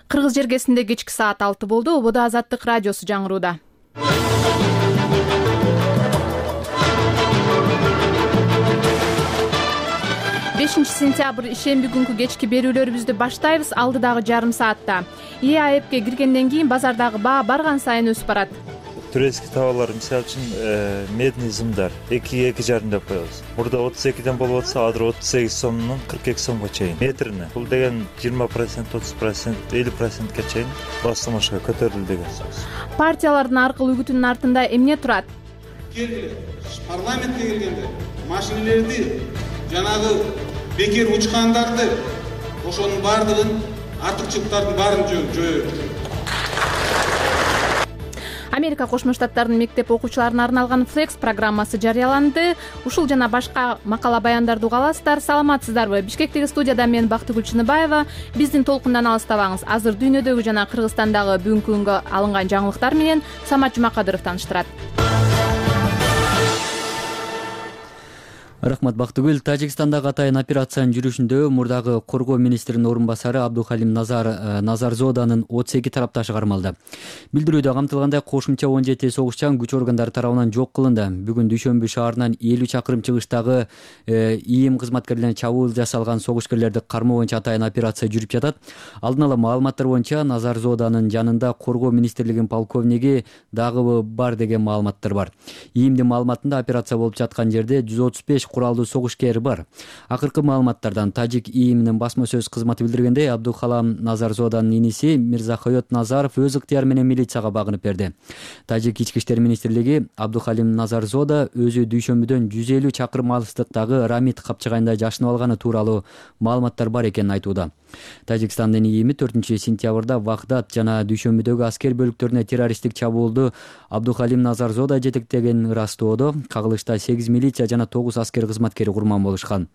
Кыргыз жергесинде кечки саат 6 болду. Ободо Азаттык радиосу жаңырууда. 5 сентябрь ишемби күнкү кечки берүүлөрүбүздү баштайбыз. Алдыдагы жарым саатта ЭАЭПке киргенден кийин базардагы баа барган сайын өсүп барат. Турецкий товарлар, мисалы үчүн медный зымдар 2,2,5 деп коебуз. Мурда 32ден болуп атса, азыр 38 сомдон 42 сомго чейин метрине. Бул деген 20%, 30%, 50%ке чейин басылмашка көтөрүлдү деген сөз. Партиялардын аркылуу үгүтүнүн артында эмне турат? Парламентке келгенде машинелерди жанагы бекер учкандарды ошонун баардыгын артыкчылыктардын баарын жоёбуз. Америка Кошмо Штаттарынын мектеп окуучуларына арналган Flex программасы жарыяланды. Ушул жана башка макала баяндарды уга аласыздар. Саламатсыздарбы? Бишкектеги студияда мен Бактыгүл Чыныбаева. Биздин толкундан алыстабаңыз. Азыр дүйнөдөгү жана Кыргызстандагы бүгүнкү күнгө алынган жаңылыктар менен Самат Жумакадыров тааныштырат. Рахмат Бактыгүл. Тажикстандагы атайын операциянын жүрүшүндө мурдагы коргоо министринин орун басары Абдухалим Назарзоданын 32 тарапташы кармалды. Билдирүүдө камтылгандай кошумча 17 согушчан күч органдары тарабынан жок кылынды. Бүгүн Дүйшөмбү шаарынан 50 чакырым чыгыштагы ИИМ кызматкерлерине чабуул жасалган согушкерлерди кармоо боюнча атайын операция жүрүп жатат. Алдын ала маалыматтар боюнча Назарзоданын жанында коргоо министрлигинин полковниги дагы бар деген маалыматтар бар. ИИМдин маалыматында операция болуп жаткан жерде 135 куралдуу согушкер бар. Акыркы маалыматтардан Тажик ИИМинин басма сөз кызматы билдиргендей, Абдухалам Назарзоданын иниси Мирзахойот Назаров өз ыктыяры менен милицияга багынып берди. Тажик ички иштер министрлиги Абдухалим Назарзода өзү Дүйшөмбүдөн 150 чакырым алыстыктагы Рамит капчыгайында жашынып алганы тууралуу маалыматтар бар экенин айтууда. Тажикстандын ИИМи 4-сентябрда Вагдат жана Дүйшөмбүдөгү аскер бөлүктөрүнө террористтик чабуулду Абдухалим Назарзода жетектеген ырастоодо кагылышта 8 милиция жана 9 аскер кызматкери курман болушкан.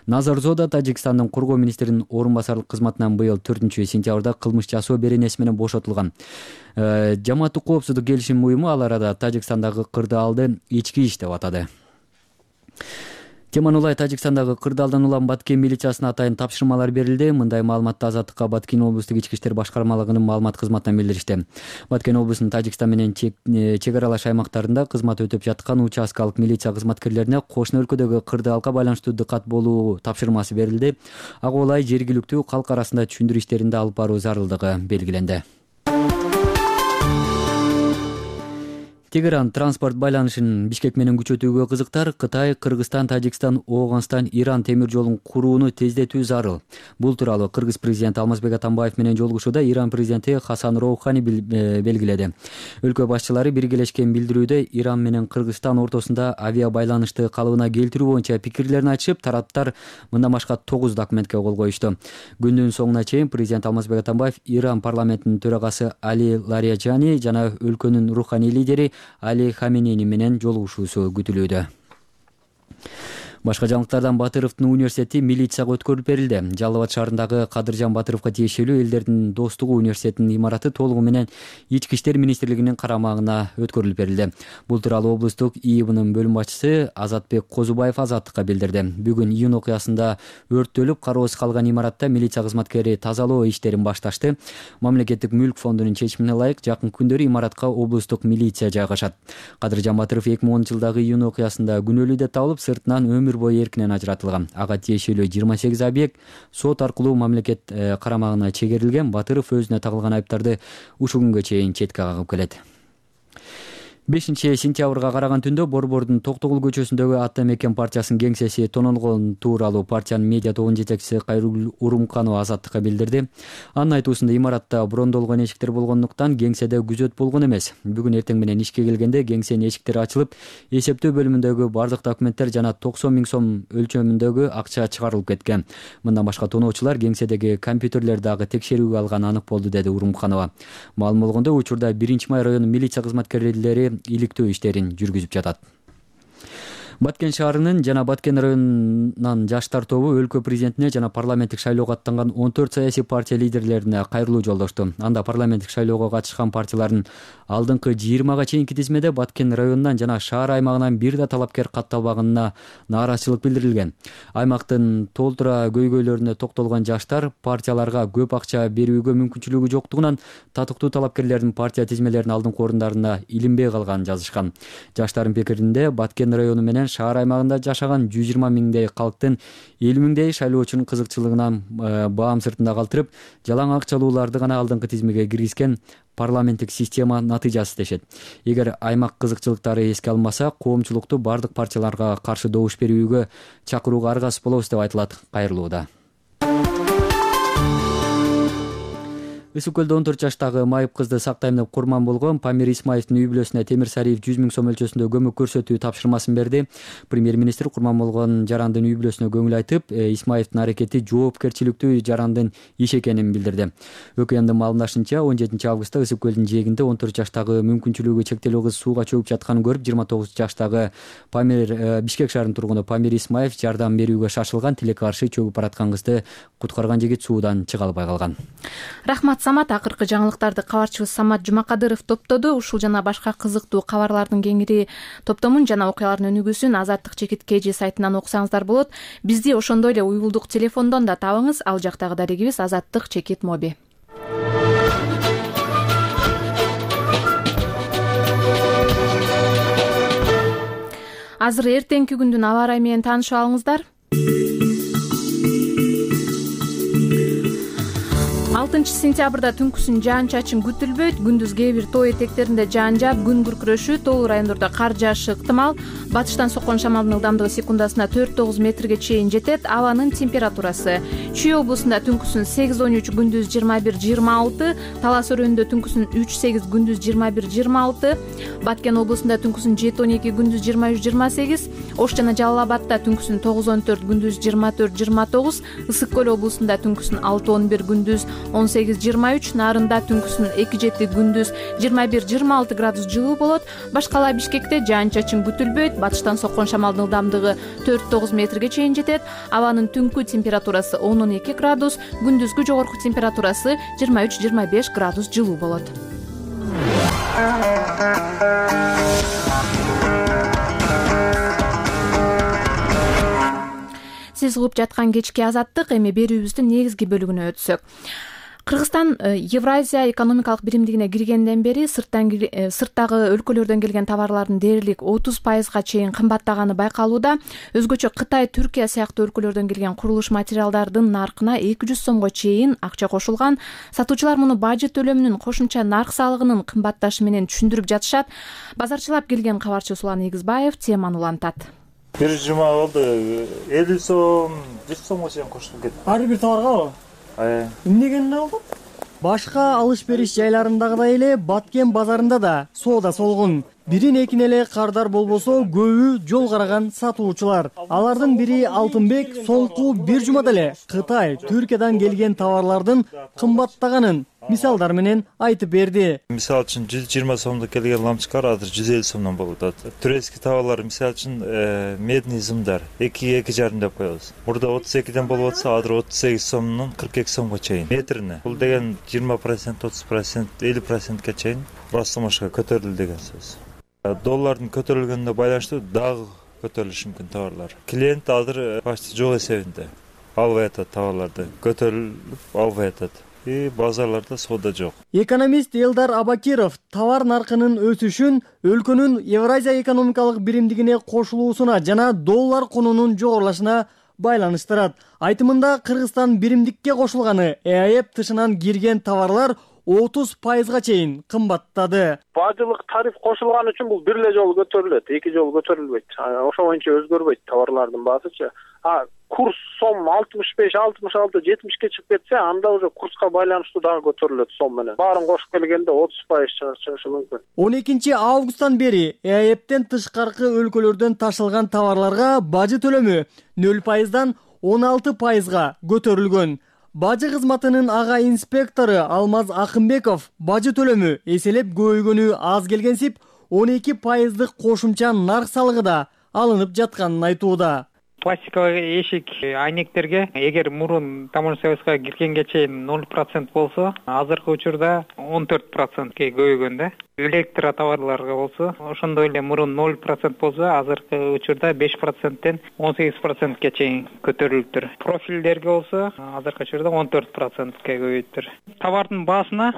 Назарзода Тажикстандын коргоо министринин орун басарлык кызматынан быйыл 4-сентябрда кылмыш жасоо беренеси менен бошотулган. Жамааттык коопсуздук келишим уюму ал арада Тажикстандагы кырдаалды ички иш деп атады. Теман улай Тажикстандагы кырдаалдан улам Баткен милициясына атайын тапшырмалар берилди. Мындай маалыматты Азаттыкка Баткен облустук ички иштер башкармалыгынын маалымат кызматынан билдиришти. Баткен облусунун Тажикстан менен чек аралаш аймактарында кызмат өтөп жаткан участкалык милиция кызматкерлерине кошуна өлкөдөгү кырдаалга байланыштуу дыкат болуу тапшырмасы берилди. Ага ылай жергиликтүү калк арасында түшүндүрүү иштеринде алып баруу зарылдыгы белгиленди. Тегеран транспорт байланышын Бишкек менен күчөтүүгө кызыктар. Кытай, Кыргызстан, Тажикстан, Ооганстан, Иран темир жолун курууну тездетүү зарыл. Бул тууралуу Кыргыз президенти Алмазбек Атамбаев менен жолугушууда Иран президенти Хасан Роухани белгиледи. Өлкө башчылары биргелешкен билдирүүдө Иран менен Кыргызстан ортосунда авиа байланышты калыбына келтирүү боюнча пикирлерин айтышып, тараптар мындан башка 9 документке кол коюшту. Күндүн соңуна чейин президент Алмазбек Атамбаев Иран парламентинин төрагасы Али Лариджани жана өлкөнүн руханий лидери Али Хаменеи менен жолугушуусу күтүлүүдө. Башка жаңылыктардан Батыровдун университети милицияга өткөрүлүп берилди. Жалал Абад шаарындагы Кадыржан Батыровго тиешелүү Элдердин достугу университетинин имараты толугу менен ички иштер министрлигинин карамагына өткөрүлүп берилди. Бул тууралуу облустук ИИБнын бөлүм башчысы Азатбек Козубаев Азаттыкка билдирди. Бүгүн июнь окуясында өрттөлүп кароосуз калган имаратта милиция кызматкери тазалоо иштерин башташты. Мамлекеттик мүлк фондунун чечимине ылайык жакын күндөрү имаратка облустук милиция жайгашат. Кадыржан Батыров 2010-жылдагы июнь окуясында күнөөлүү деп табылып, сыртынан өмүр бою эркинен ажыратылган. Ага тиешелүү 28 объект сот аркылуу мамлекет карамагына чегерилген. Батыров өзүнө тагылган айыптарды ушул күнгө чейин четке кагып келет. 5-сентябрга караган түндө Борбордун Токтогул көчөсүндөгү Ата Мекен партиясынын кеңсеси тонолгон тууралуу партиянын медиа тобунун жетекчиси Кайрул Урумканова Азаттыкка билдирди. Анын айтуусунда имаратта брондолгон эшиктер болгондуктан кеңседе күзөт болгон эмес. Бүгүн эртең менен ишке келгенде кеңсенин эшиктери ачылып, эсептөө бөлүмүндөгү бардык документтер жана 90 000 сом өлчөмүндөгү акча чыгарылып кеткен. Мындан башка тоноочулар кеңседеги компьютерлерди дагы текшерүүгө алганы анык болду, деди Урумканова. Маалым болгондой, учурда 1-Май районунун милиция кызматкерлери иликтөө иштерин жүргүзүп жатат. Баткен шаарынын жана Баткен районунан жаштар тобу өлкө президентине жана парламенттик шайлоого аттанган 14 саясий партия лидерлерине кайрылуу жолдошту. Анда парламенттик шайлоого катышкан партиялардын алдыңкы 20га чейинки тизмеде Баткен районунан жана шаар аймагынан бир да талапкер катталбаганына нааразычылык билдирилген. Аймактын толтура көйгөйлөрүнө токтолгон жаштар партияларга көп акча берүүгө мүмкүнчүлүгү жоктугунан татыктуу талапкерлердин партия тизмелеринин алдыңкы орундарына илинбей калганын жазышкан. Жаштардын пикиринде Баткен району менен шаар аймагында жашаган 120 миңдей калктын 50 миңдей шайлоочунун кызыкчылыгынан баам сыртында калтырып, жалаң акчалууларды гана алдыңкы тизмеге киргизген парламенттик система натыйжасы дешет. Эгер аймак кызыкчылыктары эске алынмаса, коомчулукту бардык партияларга каршы добуш берүүгө чакырууга аргасыз болобуз деп айтылат кайрылууда. Ысык көлдө 14 жаштагы майып кызды сактайм деп курман болгон Памир Исмаевдин үй бүлөсүнө Темир Сариев 100 миң сом мөлчөсүндө көмөк көрсөтүү тапшырмасын берди. Премьер-министр курман болгон жарандын үй бүлөсүнө көңүл айтып, Исмаевдин аракети жоопкерчиликтүү жарандын иши экенин билдирди. ӨКМдин маалымдашынча, 17 августта Ысык көлдүн жээгинде 14 жаштагы мүмкүнчүлүгү чектелүү кыз сууга чөгүп жатканын көрүп, 29 жаштагы Бишкек шаарынын тургуну Памир Исмаев жардам берүүгө шашылган. Тилекке каршы чөгүп бараткан кызды куткарган жигит суудан чыга албай калган. Рахмат Самат. Акыркы жаңылыктарды кабарчыбыз Самат Жумакадыров топтоду. Ушул жана башка кызыктуу кабарлардын кеңири топтомун жана окуялардын өнүгүүсүн Азаттык чекит KG сайтынан окусаңыздар болот. Бизди ошондой эле уюлдук телефондон да табыңыз. Ал жактагы дарегибиз Азаттык чекит моби. Азыр эртеңки күндүн аба ырайы менен таанышып алыңыздар. 6 сентябрда түнкүсүн жаан-чачын күтүлбөйт. Күндүз кээ бир тоо этектеринде жаан жаап, күн күркүрөшүү, тоолуу райондордо кар жаашы ыктымал. Батыштан соккон шамалдын ылдамдыгы секундасына 4-9 метрге чейин жетет. Абанын температурасы: Чүй облусунда түнкүсүн 8-13, күндүз 21-26, Талас өрөөнүндө түнкүсүн 3-8, күндүз 21-26, Баткен облусунда түнкүсүн 7-12, күндүз 23-28, Ош жана Жалал Абадта түнкүсүн 9-14, күндүз 24-29, Ысык көл облусунда түнкүсүн 6-11, күндүз 18-23, Нарында түнкүсүн 2-7, күндүз 21-26 градус жылуу болот. Башкала Бишкекте жаан-чачын күтүлбөйт. Батыштан соккон шамалдын ылдамдыгы 4-9 метрге чейин жетет. Абанын түнкү температурасы 10-12 градус, күндүзгү жогорку температурасы 23-25 градус жылуу болот. Сиз угуп жаткан кечки Азаттык. Эми берүүбүздүн негизги бөлүгүнө өтсөк. Кыргызстан Евразия экономикалык биримдигине киргенден бери сырттагы өлкөлөрдөн келген товарлардын дээрлик 30%га чейин кымбаттаганы байкалууда. Өзгөчө Кытай, Түркия сыяктуу өлкөлөрдөн келген курулуш материалдардын наркына 200 сомго чейин акча кошулган. Сатуучулар муну бажы төлөмүнүн кошумча нарк салыгынын кымбатташы менен түшүндүрүп жатышат. Базарчылап келген кабарчы Сулан Эгизбаев теманы улантат. Бир жума болду 50 сом, 100 сомго чейин кошулуп кетти. Ар бир товарга эмнегенде болду? Башка алыш-бериш жайларындагыдай эле Баткен базарында да соода солгун. Бирин экин эле кардар болбосо, көбү жол караган сатуучулар. Алардын бири Алтынбек соңку бир жумада эле Кытай, Түркиядан келген товарлардын кымбаттаганын мисалдар менен айтып берди. Мисал үчүн 120 сомдо келген лампочкалар азыр 150 сомдон болуп атат. Турецкий товарлар, мисал үчүн медный зымдар 2-2,5 деп коебуз. Мурда 32ден болуп атса, азыр 38 сомдон 42 сомго чейин метрине. Бул деген 20%, 30%, 50%ке чейин ростомошко көтөрүлдү деген сөз. Доллардын көтөрүлгөнүнө байланыштуу дагы көтөрүлүшү мүмкүн товарлар. Клиент азыр почти жок эсебинде албай атат товарларды, көтөрүлүп албай атат. Базарларда соода жок. Экономист Элдар Абакиров товар наркынын өсүшүн өлкөнүн Евразия экономикалык биримдигине кошулуусуна жана доллар кунунун жогорулашына байланыштырат. Айтымында Кыргызстан биримдикке кошулганы ЭАЭП тышынан кирген товарлар 30%га чейин кымбаттады. Бажылык тариф кошулган үчүн бул бир эле жолу көтөрүлөт, эки жолу көтөрүлбөйт. Ошо боюнча өзгөрбөйт товарлардын баасычы. Курс сом 65, 66, 70ке чыгып кетсе, анда уже курска байланыштуу дагы көтөрүлөт сом менен. Баарын кошуп келгенде 30% чыгышы мүмкүн. 12 августтан бери ЭАЭПтен тышкаркы өлкөлөрдөн ташылган товарларга бажы төлөмү 0%дан 16%га көтөрүлгөн. Бажы кызматынын ага инспектору Алмаз Акымбеков бажы төлөмү эселеп көбөйгөнү аз келгенсип 12%дык кошумча нарк салыгы да алынып жатканын айтууда. Пластиковый эшик айнектерге эгер мурун таможня союзга киргенге чейин 0% болсо, азыркы учурда 14%ке көбөйгөн да. Электро товарларга болсо, ошондой эле мурун 0% болсо, азыркы учурда 5%тен 18%ке чейин көтөрүлүптүр. Профилдерге болсо, азыркы учурда 14%ке көбөйүптүр. Товардын баасына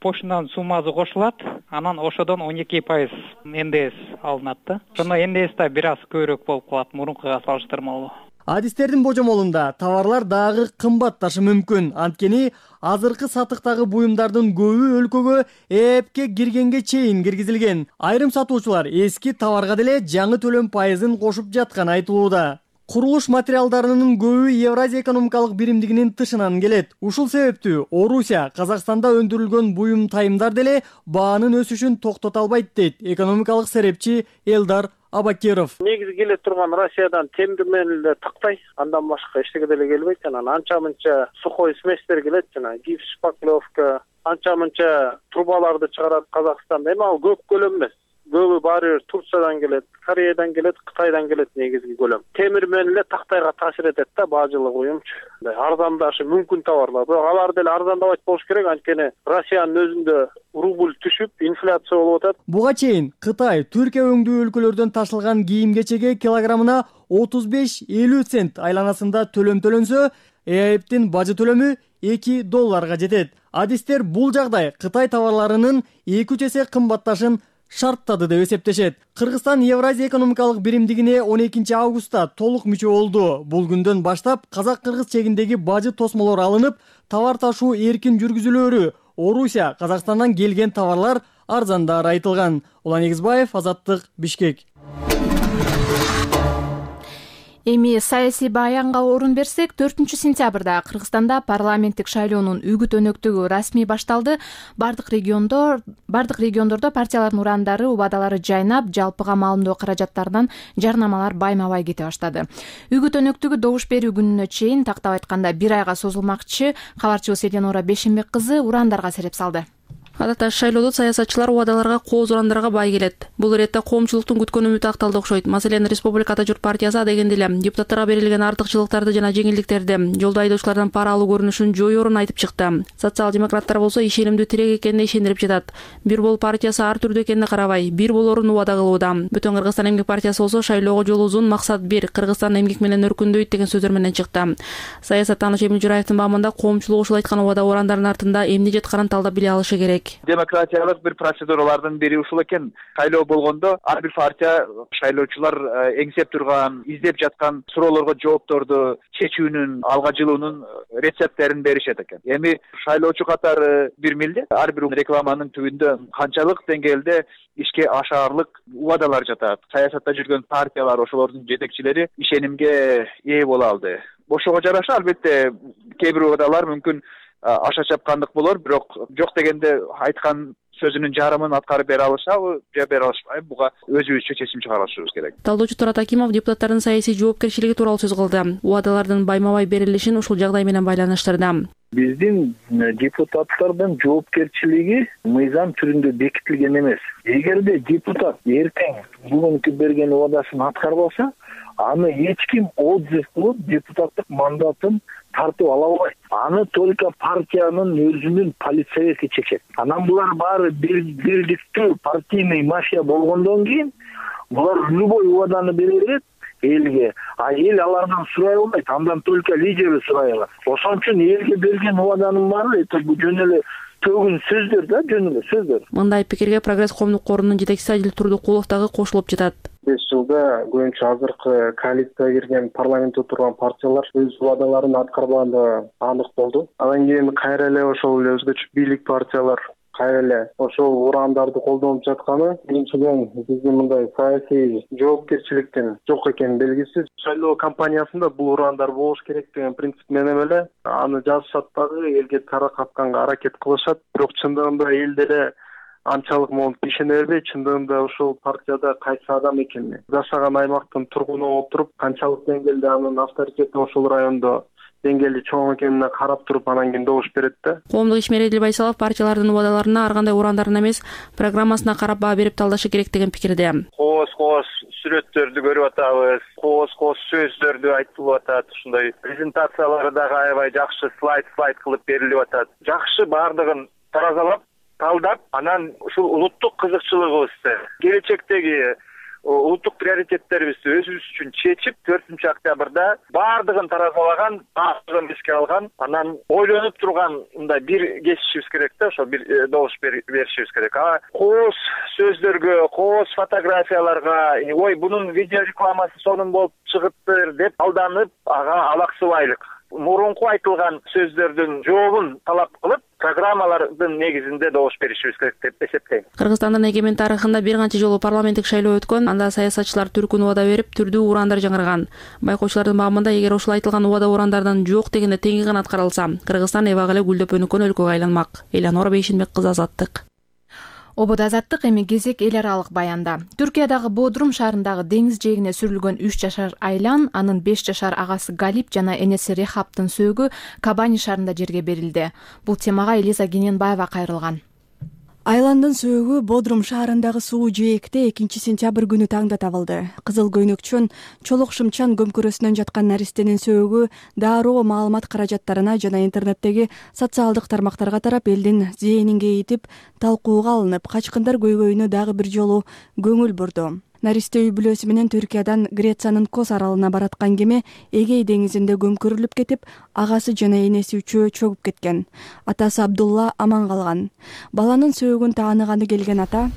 поштадан суммасы кошулат, анан ошодон 12% НДС алынат да. Ошондо НДС да бир аз көбүрөөк болуп калат мурункуга салыштырмалуу. Адистердин божомолунда товарлар дагы кымбатташы мүмкүн. Анткени азыркы сатыктагы буюмдардын көбү өлкөгө эпке киргенге чейин киргизилген. Айрым сатуучулар эски товарга деле жаңы төлөм пайызын кошуп жатканы айтылууда. Курулуш материалдарынын көбү Евразия экономикалык биримдигинин тышынан келет. Ушул себептүү Орусия Казакстанда өндүрүлгөн буюм тайымдар деле баанын өсүшүн токтото албайт дейт экономикалык серепчи Элдар Абакиров. Негизи келе турган Россиядан темир менен эле тактай, андан башка эчтеке деле келбейт. Анан анча-мынча сухой сместер келет, жана гипс, шпаклевка, анча-мынча трубаларды чыгарат Казакстанда. Эми ал көп көлөм эмес. Көбү баары Турциядан келет, Кореядан келет, Кытайдан келет негизги көлөм. Темир менен эле тактайга таасир этет да баажылык уюмчу. Арзандашы мүмкүн товарлар. Бирок алар деле арзандабайт болуш керек, анткени Россиянын өзүндө рубль түшүп, инфляция болуп атат. Буга чейин Кытай, Түркия өңдүү өлкөлөрдөн ташылган кийим-кечеге килограммына 35-50 цент айланасында төлөм төлөнсө, ЭАЭПтин бажы төлөмү $2 жетет. Адистер бул жагдай Кытай товарларынын 2 эсе кымбатташын шарттады деп эсептешет. Кыргызстан Евразия экономикалык биримдигине 12 августта толук мүчө болду. Бул күндөн баштап казак-кыргыз чегиндеги бажы тосмолор алынып, товар ташуу эркин жүргүзүлөөрү, Орусия, Казакстандан келген товарлар арзандары айтылган. Улан Эгизбаев, Азаттык, Бишкек. Эми саясий баянга орун берсек, 4-сентябрда Кыргызстанда парламенттик шайлоонун үгүт өнөктүгү расмий башталды. Бардык региондордо партиялардын урандары, убадалары жайнап, жалпыга маалымдоо каражаттарынан жарнамалар байма-бай кете баштады. Үгүт өнөктүгү добуш берүү күнүнө чейин, тактап айтканда 1 айга созулмакчы. Кабарчыбыз Эленора Бешенбек кызы урандарга сереп салды. Адатта шайлоодо саясатчылар убадаларга, кооз урандарга бай келет. Бул иретте коомчулуктун күткөн үмүтү акталды окшойт. Маселен, Республикада Журт партиясы адегенде эле депутаттарга берилген артыкчылыктарды жана жеңилдиктерди, жолдо айдоочулардан пара алуу көрүнүшүн жоюорун айтып чыкты. Социал-демократтар болсо ишенимдүү тирек экенине ишендирип жатат. Бир бол партиясы ар түрдүү экенине карабай, бир болорун убада кылууда. Бүтүн Кыргызстан эмгек партиясы болсо шайлоого жол узун, максат бир, Кыргызстан эмгек менен өркүндөйт деген сөздөр менен чыкты. Саясаттануучу Эмил Жураевдин баамында коомчулук ушул айткан убада урандарынын артында эмне жатканын талдап биле алышы керек. Демократиялык бир процедуралардын бири ушул экен. Шайлоо болгондо ар бир партия шайлоочулар эңсеп турган, издеп жаткан суроолорго жоопторду чечүүнүн, алга жылуунун рецепттерин беришет экен. Эми шайлоочу катары бир милдет, ар бир рекламанын түбүндө канчалык деңгээлде ишке ашаарлык убадалар жатат. Саясатта жүргөн партиялар, ошолордун жетекчилери ишенимге ээ боло алды. Ошого жараша албетте кээ бир убадалар мүмкүн аша чапкандык болор, бирок жок дегенде айткан сөзүнүн жарымын аткарып бере алышабы же бере алышпайбы, буга өзүбүзчө чечим чыгарышыбыз керек. Талдоочу Турат Акимов депутаттардын саясий жоопкерчилиги тууралуу сөз кылды. Убадалардын байма-бай берилишин ушул жагдай менен байланыштырды. Биздин депутаттардын жоопкерчилиги мыйзам түрүндө бекитилген эмес. Эгерде депутат эртең бүгүнкү берген убадасын аткарбаса, аны эч ким отзыв кылып депутаттык мандатын тартып ала албайт. Аны только партиянын өзүнүн политсовети чечет. Анан булар баары бирдиктүү партийный мафия болгондон кийин булар любой убаданы бере берет элге, а эл алардан сурай албайт, андан только лидери сурай алат. Ошон үчүн элге берген убаданын баары бул жөн эле төгүн сөздөр да, жөн эле сөздөр. Мындай пикирге Прогресс коомдук корунун жетекчиси Адил Турдукулов дагы кошулуп жатат. 5 жылда көбүнчө азыркы коалицияга кирген парламентте отурган партиялар өз убадаларын аткарбаганы анык болду. Андан кийин кайра эле ошол эле өзгөчө бийлик партиялар кайра эле ошол урандарды колдонуп жатканы биринчиден биздин мындай саясий жоопкерчиликтин жок экени белгисиз. Шайлоо кампаниясында бул урандар болуш керек деген принцип менен эле аны жазышат дагы, элге таркатканга аракет кылышат. Бирок чындыгында эл деле анчалык могу ишене бербейт. Чындыгында ошол партияда кайсы адам экени, жашаган аймактын тургуну болуп туруп, канчалык деңгээлде анын авторитети ошол райондо деңгээлди чоң экенине карап туруп анан кийин добуш берет да. Коомдук ишмер Эдил Байсалов партиялардын убадаларына ар кандай урандарына эмес, программасына карап баа берип талдашы керек деген пикирде. Кооз сүрөттөрдү көрүп атабыз, кооз сөздөрдү айтылып атат. Ушундай презентациялары дагы аябай жакшы слайд кылып берилип атат. Жакшы баардыгын таразалап, талдап, анан ушул улуттук кызыкчылыгыбызды, келечектеги улуттук приоритеттерибизди өзүбүз үчүн чечип, 4 октябрда баардыгын таразалаган, баардыгын эске алган, анан ойлонуп турган мындай бир кесишибиз керек да, ошо бир добуш беришибиз керек. Кооз сөздөргө, кооз фотографияларга, ой, бунун видео рекламасы сонун болуп чыгыптыр деп алданып, ага алаксыбайлык. Мурунку айтылган сөздөрдүн жообун талап кылып, программалардын негизинде добуш беришибиз керек деп эсептейм. Кыргызстандын эгемен тарыхында бир канча жолу парламенттик шайлоо өткөн, анда саясатчылар түркүн убада берип, түрдүү урандар жаңырган. Байкоочулардын маамында эгер ушул айтылган убада урандардан жок дегенде теңи гана аткарылса, Кыргызстан эбак эле гүлдөп өнүккөн өлкөгө айланмак. Эланора Бейшенбек кызы, Азаттык. Ободо Азаттык, эми кезек эл аралык баянда. Түркиядагы Бодрум шаарындагы деңиз жээгине сүрүлгөн 3 жашар Айлан, анын 5 жашар агасы Галип жана энеси Рехаптын сөөгү Кабани шаарында жерге берилди. Бул темага Элиза Гененбаева кайрылган. Айландын сөөгү Бодрум шаарындагы суу жээкте 2-сентябрь күнү таңда табылды. Кызыл көйнөкчөн чолок шымчан көмкөрөсүнөн жаткан наристенин сөөгү дароо маалымат каражаттарына жана интернеттеги социалдык тармактарга тарап, элдин зээнин кээйтип, талкууга алынып, качкындар көйгөйүнө дагы бир жолу көңүл бурду. Наристе үй бүлөсү менен Түркиядан Грециянын Кос аралына бараткан кеме Эгей деңизинде көмкөрүлүп кетип, агасы жана энеси үчөө чөгүп кеткен. Атасы Абдулла аман калган. Баланын сөөгүн тааныганы келген ата: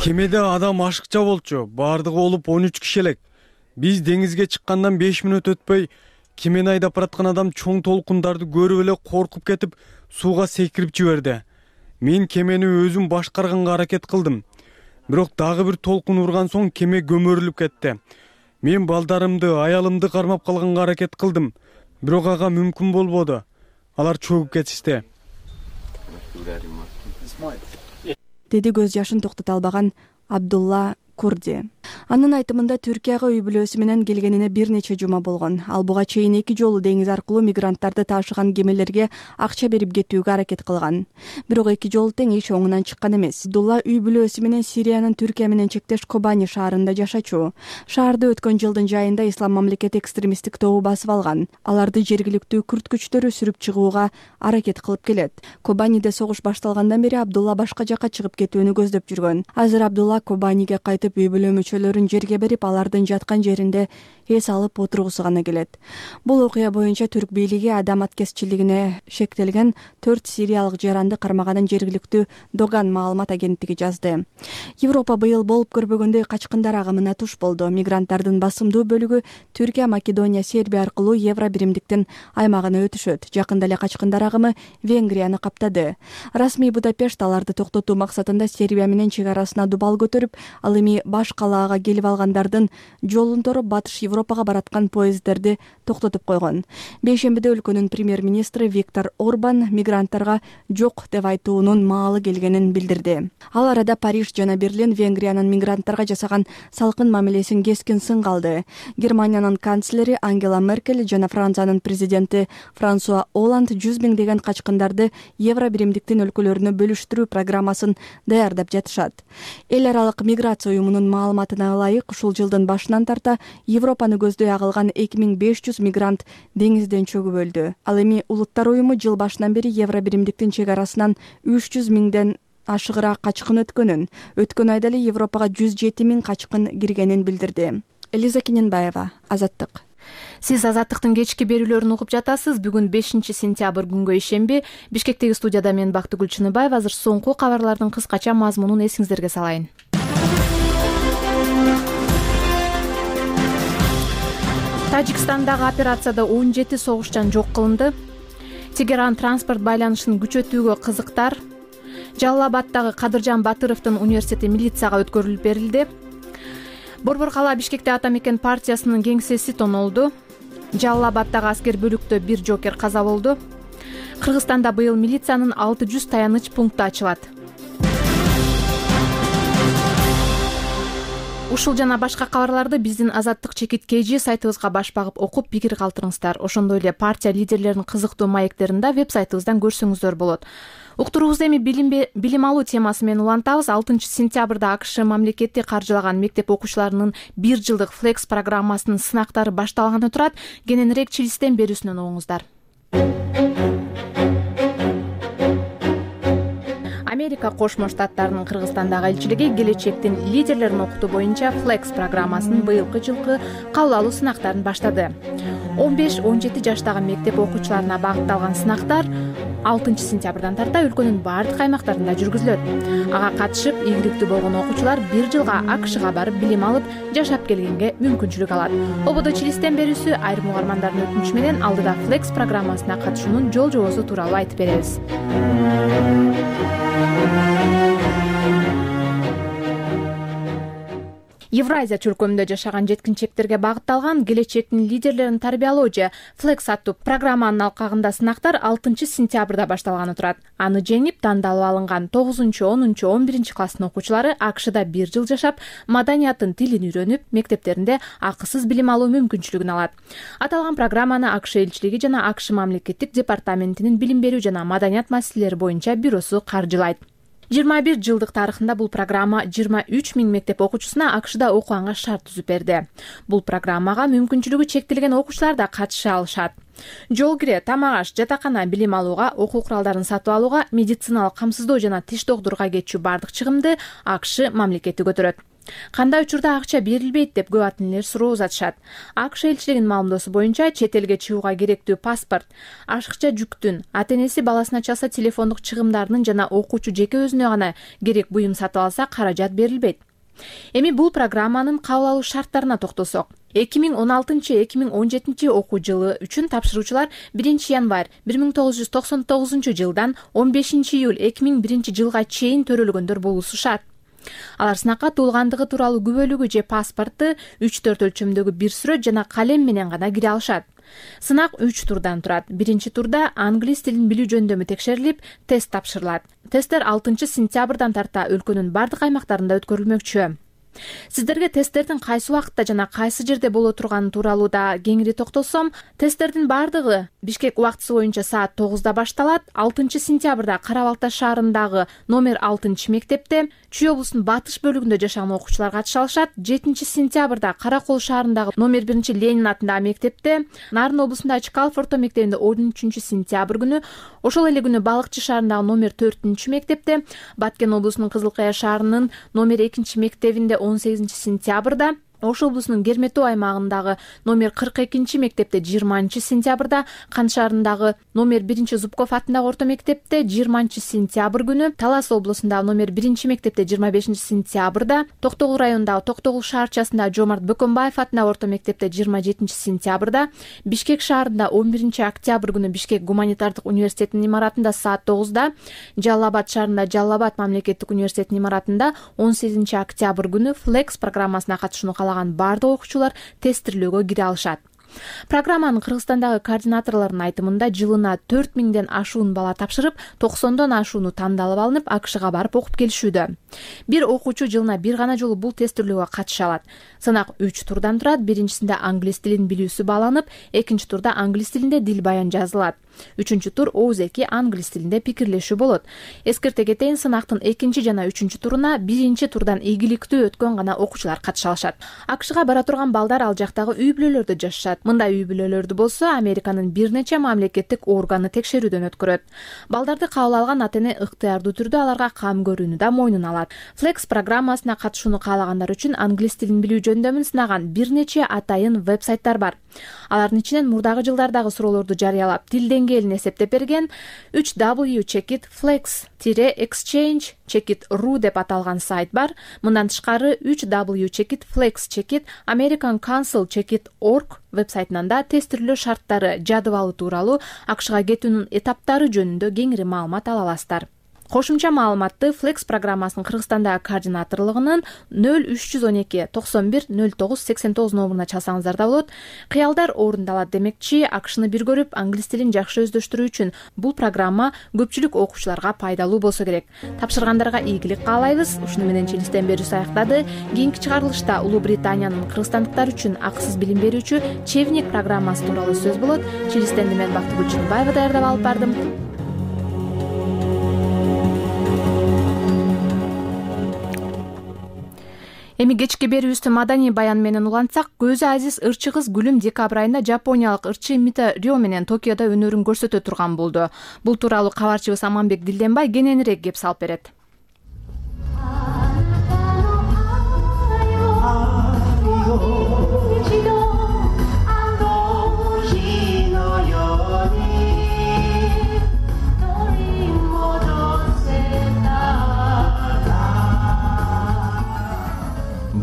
Кемеде адам ашыкча болчу, баардыгы болуп 13 киши элек. Биз деңизге чыккандан 5 мүнөт өтпөй, кемени айдап бараткан адам чоң толкундарды көрүп эле коркуп кетип, сууга секирип жиберди. Мен кемени өзүм башкарганга аракет кылдым. Бирок дагы бир толкун урган соң кеме көмөрүлүп кетти. Мен балдарымды, аялымды кармап калганга аракет кылдым. Бирок ага мүмкүн болбоду. Алар чөгүп кетишти. Деди көз жашын токтото албаган Абдулла Курди. Анын айтымында Түркияга үй бүлөсү менен келгенине бир нече жума болгон. Ал буга чейин 2 жолу деңиз аркылуу мигранттарды таашыган кемелерге акча берип кетүүгө аракет кылган. Бирок 2 жолу тең иш оңунан чыккан эмес. Абдулла үй бүлөсү менен Сириянын Түркия менен чектеш Кобани шаарында жашачу. Шаарды өткөн жылдын жайында Ислам мамлекети экстремисттик тобу басып алган. Аларды жергиликтүү күрд күчтөрү сүрүп чыгууга аракет кылып келет. Кобаниде согуш башталгандан бери Абдулла башка жакка чыгып кетүүнү көздөп жүргөн. Азыр Абдулла Кобаниге кайтып үй бүлө мүчөлөрүн жерге берип, алардын жаткан жеринде эс алып отургусу гана келет. Бул окуя боюнча түрк бийлиги адам аткезчилигине шектелген 4 сириялык жаранды кармаганын жергиликтүү Доган маалымат агенттиги жазды. Европа быйыл болуп көрбөгөндөй качкындар агымына туш болду. Мигранттардын басымдуу бөлүгү Түркия, Македония, Сербия аркылуу Евро биримдиктин аймагына өтүшөт. Жакында эле качкындар агымы Венгрияны каптады. Расмий Будапешт аларды токтотуу максатында Сербия менен чек арасына дубал көтөрүп, ал эми баш калаага келип алгандардын жолун тороп батыш Европага бараткан поезддерди токтотуп койгон. Бейшембиде өлкөнүн премьер-министри Виктор Орбан мигранттарга жок деп айтуунун маалы келгенин билдирди. Ал арада Париж жана Берлин Венгриянын мигранттарга жасаган салкын мамилесин кескин сынга алды. Германиянын канцлери Ангела Меркель жана Франциянын президенти Франсуа Оланд 100 миңдеген качкындарды Евро биримдиктин өлкөлөрүнө бөлүштүрүү программасын даярдап жатышат. Эл аралык миграция уюмунун маалыматына ылайык, ушул жылдын башынан тарта Европаны көздөй агылган 2500 мигрант деңизден чөгүп өлдү. Ал эми Улуттар уюму жыл башынан бери Евро биримдиктин чек арасынан 300 миңден ашыгыраак качкын өткөнүн, өткөн айда эле Европага 107 миң качкын киргенин билдирди. Элиза Гененбаева, Азаттык. Сиз Азаттыктын кечки берүүлөрүн угуп жатасыз. Бүгүн 5 сентябрь күнгө ишемби. Бишкектеги студияда мен Бактыгүл Чыныбаева. Азыр соңку кабарлардын кыскача мазмунун эсиңиздерге салайын. Тажикстандагы операцияда 17 согушчан жок кылынды. Тегеран транспорт байланышын күчөтүүгө кызыктар. Жалал-Абаддагы Кадыржан Батыровдун университети милицияга өткөрүлүп берилди. Борбор кала Бишкекте Ата Мекен партиясынын кеңсеси тонолду. Жалал-Абаддагы аскер бөлүктө бир жокер каза болду. Кыргызстанда быйыл милициянын 600 таяныч пункту ачылат. Ушул жана башка кабарларды биздин Азаттык чекит KG сайтыбызга баш багып окуп пикир калтырыңыздар. Ошондой эле партия лидерлеринин кызыктуу маектерин да веб-сайтыбыздан көрсөңүздөр болот. Уктуруубузду эми билим алуу темасы менен улантабыз. 6-сентябрда АКШ мамлекети каржылаган мектеп окуучуларынын 1 жылдык Flex программасынын сынактары башталганы турат. Кененирээк чилистен берүүсүнөн угуңуздар. Америка Кошмо Штаттарынын Кыргызстандагы элчилиги келечектин лидерлерин окутуу боюнча Flex программасынын быйылкы жылкы кабыл алуу сынактарын баштады. 15-17 жаштагы мектеп окуучуларына багытталган сынактар 6-сентябрдан тарта өлкөнүн бардык аймактарында жүргүзүлөт. Ага катышып ийгиликтүү болгон окуучулар 1 жылга АКШга барып билим алып, жашап келгенге мүмкүнчүлүк алат. Ободо чилистен берүүсү айрым угармандардын өтүнүчү менен алдыда Flex программасына катышуунун жол жобосу тууралуу айтып беребиз. Евразия чөлкөмүндө жашаган жеткинчектерге багытталган келечектин лидерлерин тарбиялоо же Flex аттуу программанын алкагында сынактар 6-сентябрда башталганы турат. Аны жеңип, тандалып алынган 9-, 10-, 11 класстын окуучулары АКШда 1 жыл жашап, маданиятын, тилин үйрөнүп, мектептеринде акысыз билим алуу мүмкүнчүлүгүн алат. Аталган программаны АКШ элчилиги жана АКШ мамлекеттик департаментинин билим берүү жана маданият маселелери боюнча бюросу каржылайт. 21 жылдык тарыхында бул программа 23 000 мектеп окуучусуна АКШда окуганга шарт түзүп берди. Бул программага мүмкүнчүлүгү чектелген окуучулар да катыша алышат. Жол кире, тамак аш, жатакана билим алууга, окуу куралдарын сатып алууга, медициналык камсыздоо жана тиш доктурга кетчү бардык чыгымды АКШ мамлекети көтөрөт. Кандай учурда акча берилбейт деп көп ата энелер суроо узатышат. АКШ элчилигинин маалымдоосу боюнча чет элге чыгууга керектүү паспорт, ашыкча жүктүн, ата энеси баласына чалса телефондук чыгымдарынын жана окуучу жеке өзүнө гана керек буюм сатып алса каражат берилбейт. Эми бул программанын кабыл алуу шарттарына токтолсок. 2016-2017 окуу жылы үчүн тапшыруучулар 1 январь 1999 жылдан 15 июль 2001 жылга чейин төрөлгөндөр болуусу шарт. Алар сынакка туулгандыгы тууралуу күбөлүгү же паспорту 3-4 өлчөмдөгү бир сүрөт жана калем менен гана кире алышат. Сынак 3 турдан турат. Биринчи турда англис тилин билүү жөндөмү текшерилип, тест тапшырылат. Тесттер 6-сентябрдан тарта өлкөнүн бардык аймактарында өткөрүлмөкчү. Сиздерге тесттердин кайсы убакытта жана кайсы жерде боло турганы тууралуу да кеңири токтолсом, тесттердин бардыгы Бишкек убактысы боюнча саат 9-да башталат. 6-сентябрда Кара Балта шаарындагы номер 6 мектепте, Чүй облусунун батыш бөлүгүндө жашаган окуучулар катыша алышат. 7-сентябрда Кара Кол шаарындагы номер 1 Ленин атындагы мектепте, Нарын облусунда Чкалов орто мектебинде 13-сентябрь күнү, ошол эле күнү Балыкчы шаарындагы номер 4 мектепте, Баткен облусунун Кызыл Кая шаарынын номер 2 мектебинде 18-сентябрда, Ош облусунун Керметөө аймагындагы номер 42 мектепте 20-сентябрда, Кан шаарындагы номер 1 Зубков атындагы орто мектепте 20-сентябрь күнү, Талас облусундагы номер 1 мектепте 25-сентябрда, Токтогул районундагы Токтогул шаарчасындагы Жомарт Бөкөнбаев атындагы орто мектепте 27-сентябрда, Бишкек шаарында 11 октябрь күнү Бишкек гуманитардык университетинин имаратында саат 9-да, Жалал Абад шаарында Жалал Абад мамлекеттик университетинин имаратында 18 октябрь күнү Flex программасына катышууну бардык окуучулар тестирлөөгө кире алышат. Программанын Кыргызстандагы координаторлорунун айтымында жылына 4000ден ашуун бала тапшырып, 90дон ашууну тандалып алынып, АКШга барып окуп келишүүдө. Бир окуучу жылына бир гана жолу бул тестирлөөгө катыша алат. Сынак 3 турдан турат. Биринчисинде англис тилин билүүсү бааланып, экинчи турда англис тилинде дил баян жазылат. Үчүнчү тур ооз-эки англис тилинде пикирлешүү болот. Эскерте кетейин, сынактын экинчи жана үчүнчү туруна биринчи турдан ийгиликтүү өткөн гана окуучулар катыша алышат. АКШга бара турган балдар ал жактагы үй бүлөлөрдө жашашат. Мындай үй бүлөлөрдү болсо Американын бир нече мамлекеттик органы текшерүүдөн өткөрөт. Балдарды кабыл алган ата эне ыктыярдуу түрдө аларга кам көрүүнү да мойнуна алат. Flex программасына катышууну каалагандар үчүн англис тилин билүү жөндөмүн сынаган бир нече атайын веб-сайттар бар. Алардын ичинен мурдагы жылдардагы суроолорду жарыялап, тил деңгээлин эсептеп берген 3W Checkit Flex-Exchange Checkit.ru деп аталган сайт бар. Мындан тышкары 3W Checkit Flex Checkit American Council Checkit.org веб-сайтынан да тестирлөө шарттары, жадыбалы тууралуу АКШга кетүүнүн этаптары жөнүндө кеңири маалымат ала аласыздар. Кошумча маалыматты Flex программасынын Кыргызстандагы координаторлугунун 0312 91 09 89 номуруна чалсаңыздар да болот. Кыялдар орундалат демекчи, акшны бир көрүп, англис тилин жакшы өздөштүрүү үчүн бул программа көпчүлүк окуучуларга пайдалуу болсо керек. Тапшыргандарга ийгилик каалайбыз. Ушуну менен чилистен берүүсү аяктады. Кийинки чыгарылышта Улуу Британиянын кыргызстандыктар үчүн акысыз билим берүүчү Чевник программасы тууралуу сөз болот. Чилистенди мен Бактыгүл Чыныбаева даярдап алып бардым. Эми кечки берүүбүздү маданий баян менен улантсак, көзү азиз ырчы кыз Гүлүм декабрь айында жапониялык ырчы Мита Рё менен Токиодо өнөрүн көрсөтө турган болду. Бул тууралуу кабарчыбыз Аманбек Дилденбай кененирээк кеп салып берет.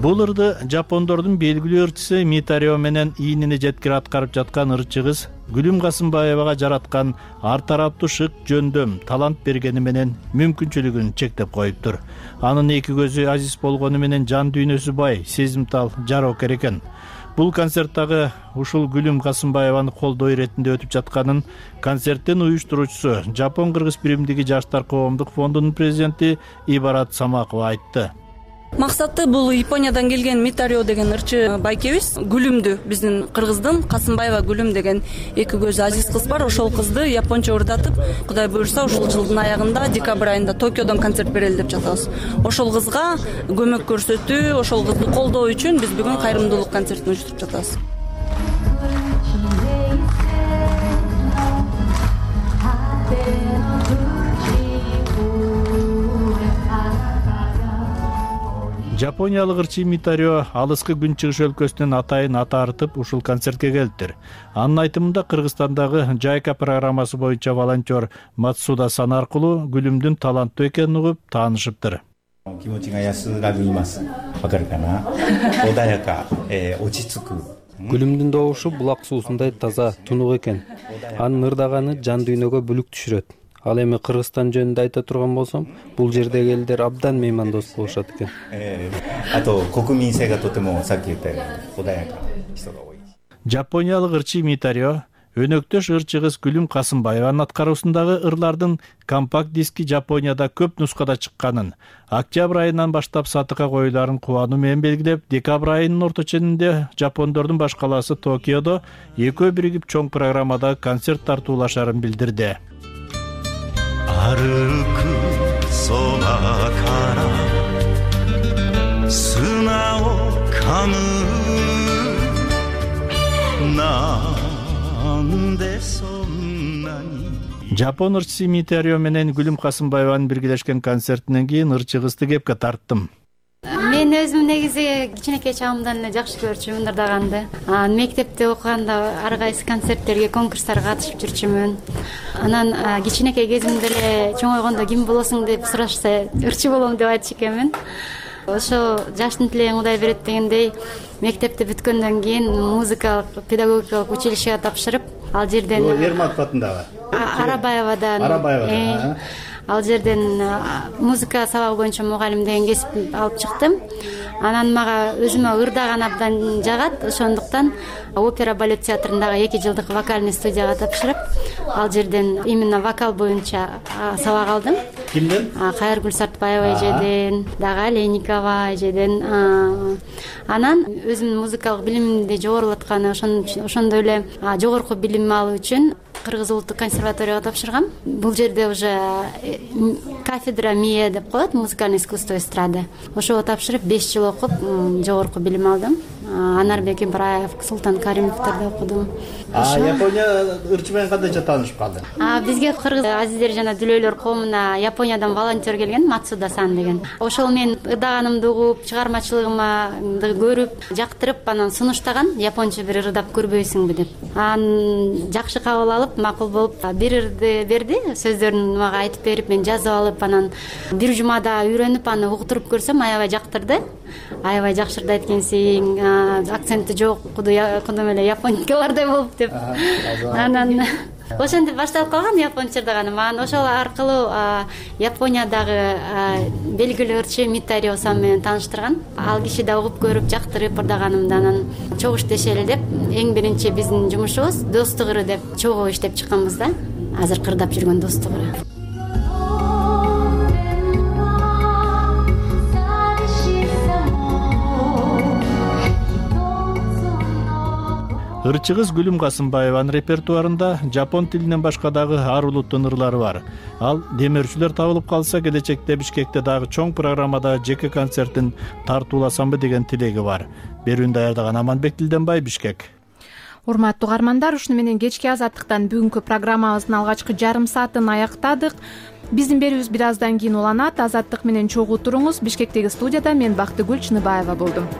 Бул ырды жапондордун белгилүү ырчысы Мита Рё менен ийинини жеткире аткарып жаткан ырчы кыз Гүлүм Касымбаевага жараткан ар тараптуу шык жөндөм, талант бергени менен мүмкүнчүлүгүн чектеп коюптур. Анын эки көзү азиз болгону менен жан дүйнөсү бай, сезимтал, жароокер экен. Бул концерттагы ушул Гүлүм Касымбаеваны колдоо иретинде өтүп жатканын концерттин уюштуруучусу Жапон-Кыргыз биримдиги Жаштар коомдук фондунун президенти Ибарат Самакова айтты. Максаты бул Япониядан келген Мита Рё деген ырчы байкебиз Гүлүмдү, биздин кыргыздын Касымбаева Гүлүм деген эки көзү азиз кыз бар. Ошол кызды японча ырдатып, Кудай буйрса ушул жылдын аягында декабрь айында Токиодон концерт берели деп жатабыз. Ошол кызга көмөк көрсөтүү, ошол кызды колдоо үчүн биз бүгүн кайрымдуулук концертин уюштуруп жатабыз. Жапониялык ырчы Мита Рё алыскы Күнчыгыш өлкөсүнөн атайын ата артып ушул концертке келиптир. Анын айтымында Кыргызстандагы Жайка программасы боюнча волонтер Мацуда Сан аркылуу Гүлүмдүн таланттуу экенин угуп таанышыптыр. Гүлүмдүн добушу булак суусундай таза, тунук экен. Анын ырдаганы жан дүйнөгө бүлүк түшүрөт. Ал эми Кыргызстан жөнүндө айта турган болсом, бул жердеги элдер абдан меймандос болушат экен. Жапониялык ырчы Мита Рё өнөктөш ырчы кыз Гүлүм Касымбаеванын аткаруусундагы ырлардын компакт диски Жапонияда көп нускада чыкканын, октябрь айынан баштап сатыкка коюларын кубануу менен белгилеп, декабрь айынын орто ченинде жапондордун баш калаасы Токиодо экөө биригип чоң программада концерт тартуулашарын билдирди. 歩く空から砂を噛むなんでそんなに Жапон ырчысы Мита Рё менен Гүлүм Касымбаеванын биргелешкен концертинен кийин ырчы кызды кепке тарттым. Мен өзүм негизи кичинекей чагымдан эле жакшы көрчүмүн ырдаганды. Мектепте окуганда ар кайсы концерттерге, конкурстарга катышып жүрчүмүн. Анан кичинекей кезимде эле чоңойгондо ким болосуң деп сурашса, ырчы болом деп айтчу экенмин. Ошо жаштын тилегин Кудай берет дегендей, мектепти бүткөндөн кийин музыкалык педагогикалык училищеге тапшырып, ал жерден Ерматов атындагы Арабаевадан ал жерден музыка сабагы боюнча мугалим деген кесип алып чыктым. Анан мага өзүмө ырдаган абдан жагат, ошондуктан опера балет театрындагы 2 жылдык вокальный студияга тапшырып, ал жерден именно вокал боюнча сабак алдым. Кимден? Кайыргүл Сартбаева эжеден, дагы Леникова эжеден. Анан өзүмдүн музыкалык билимимди жогорулатканы, ошондой эле жогорку билим алуу үчүн Кыргыз улуттук консерваторияга тапшыргам. Бул жерде уже кафедра МИЭ деп коет, музыкальное искусство эстрады. Ошого тапшырып 5 жыл окуп, жогорку билим алдым. Анарбек Ибраев, Султан Каримовдордо окудум. Япония ырчы менен кандайча таанышып калдың? Бизге кыргыз азиздер жана дүлөйлөр коомуна Япониядан волонтер келген, Мацуда Сан деген. Ошол мен ырдаганымды угуп, чыгармачылыгымды көрүп, жактырып, анан сунуштаган, японча бир ырдап көрбөйсүңбү деп. Анан жакшы кабыл алып, макул болуп, бир ырды берди, сөздөрүн мага айтып берип, мен жазып алып, анан бир жумада үйрөнүп, аны уктуруп көрсөм, аябай жактырды. Аябай жакшы ырдайт экенсиң, акценти жок, кудум эле японикалардай болуп деп. Анан ошентип башталып калган японча ырдаганы. Анан ошол аркылуу Япониядагы белгилүү ырчы Митарио сан менен тааныштырган. Ал киши да угуп көрүп жактырып ырдаганымды анан чогуу иштешели деп эң биринчи биздин жумушубуз достук ыры деп чогуу иштеп чыкканбыз да. Азыр кырдап жүргөн достук ыры. Ырчы кыз Гүлүм Касымбаеванын репертуарында жапон тилинен башка дагы ар улуттун ырлары бар. Ал демөөрчүлөр табылып калса, келечекте Бишкекте дагы чоң программада жеке концертин тартууласамбы деген тилеги бар. Берүүнү даярдаган Аманбек Тилденбай, Бишкек. Урматтуу угармандар, ушуну менен кечки азаттыктан бүгүнкү программабыздын алгачкы жарым саатын аяктадык. Биздин берүүбүз бир аздан кийин уланат. Азаттык менен чогуу туруңуз. Бишкектеги студияда мен Бактыгүл Чыныбаева болдум.